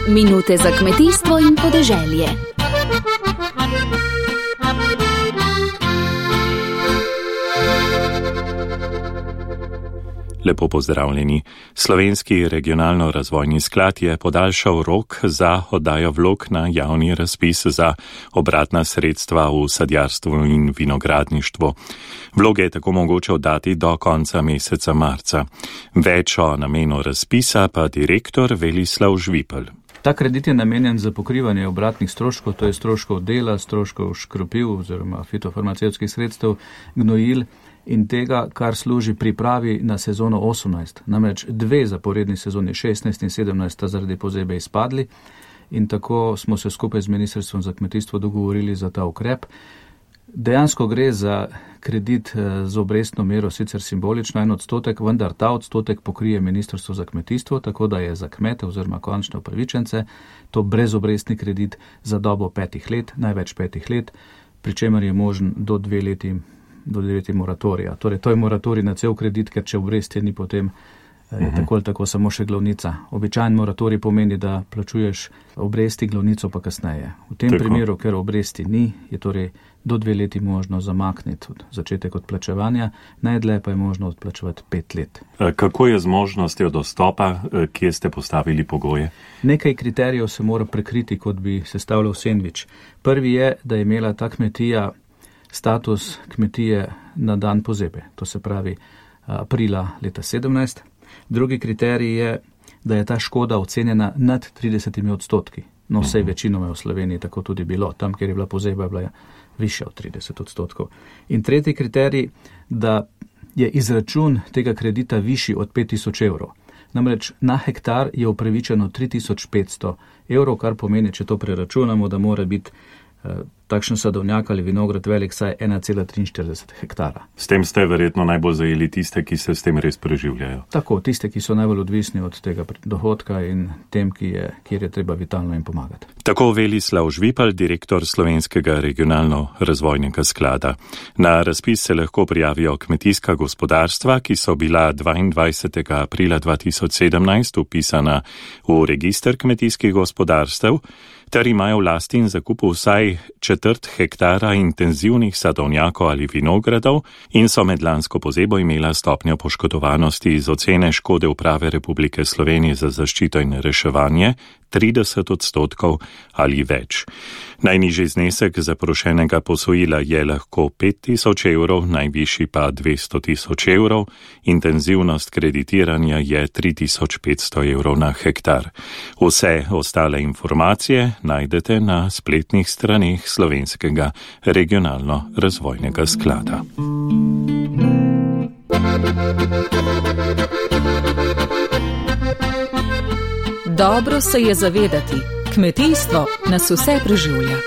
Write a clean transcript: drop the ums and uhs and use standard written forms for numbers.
Minute za kmetijstvo in podeželje. Lepo pozdravljeni. Slovenski regionalno-razvojni sklad je podaljšal rok za oddajo vlog na javni razpis za obratna sredstva v sadjarstvu in vinogradništvu. Vloge je tako mogoče oddati do konca meseca marca. Več o namenu razpisa pa direktor Velislav Žvipelj. Ta kredit je namenjen za pokrivanje obratnih stroškov, to je stroškov dela, stroškov škropiv oziroma fitofarmacevtskih sredstev, gnojil in tega, kar služi pripravi na sezono 18. Namreč 2 zaporedni sezoni 16 in 17 sta zaradi pozebe izpadli in tako smo se skupaj z Ministrstvom za kmetijstvo dogovorili za ta ukrep. Dejansko gre za kredit z obrestno mero, sicer simbolično 1%, vendar ta odstotek pokrije Ministrstvo za kmetijstvo, tako da je za kmete oziroma končne upravičence to brezobrestni kredit za dobo 5 let, največ 5 let, pri čemer je možen do 2 leti moratorija. Torej, to je moratorij na cel kredit, ker če obresti ni potem je tako ali tako samo še glavnica. Običajen moratorij pomeni, da plačuješ obresti, glavnico pa kasneje. V tem primeru, ker obresti ni, je torej do 2 leti možno zamakniti začetek odplačevanja, najdlje pa je možno odplačevati 5 let. Kako je z možnostjo dostopa, kje ste postavili pogoje? Nekaj kriterijev se mora prekriti, kot bi sestavljal sendvič. Prvi je, da je imela ta kmetija status kmetije na dan pozebe, to se pravi aprila leta 17. Drugi kriterij je, da je ta škoda ocenjena nad 30%. No, vsej večinoma v Sloveniji tako tudi bilo. Tam, kjer je bila pozeba, je bila višja od 30%. In tretji kriterij, da je izračun tega kredita višji od 5000 evrov. Namreč na hektar je upravičeno 3500 evrov, kar pomeni, če to preračunamo, da mora biti takšen sadovnjak ali vinograd velik saj 1,43 hektara. S tem ste verjetno najbolj zajeli tiste, ki se s tem res preživljajo. Tako, tiste, ki so najbolj odvisni od tega dohodka in tem, kjer je treba vitalno jim pomagati. Tako Velislav Žvipelj, direktor Slovenskega regionalno-razvojnega sklada. Na razpis se lahko prijavijo kmetijska gospodarstva, ki so bila 22. aprila 2017 upisana v register kmetijskih gospodarstev, ter imajo v lasti in zakupu vsaj 1/4 hektara intenzivnih sadovnjakov ali vinogradov in so med lansko pozebo imela stopnjo poškodovanosti iz ocene škode Uprave Republike Slovenije za zaščito in reševanje 30% ali več. Najnižji znesek zaprošenega posojila je lahko 5000 evrov, najvišji pa 200 000 evrov, intenzivnost kreditiranja je 3500 evrov na hektar. Vse ostale informacije najdete na spletnih straneh Slovenskega regionalno-razvojnega sklada. Dobro se je zavedati, kmetijstvo nas vse preživlja.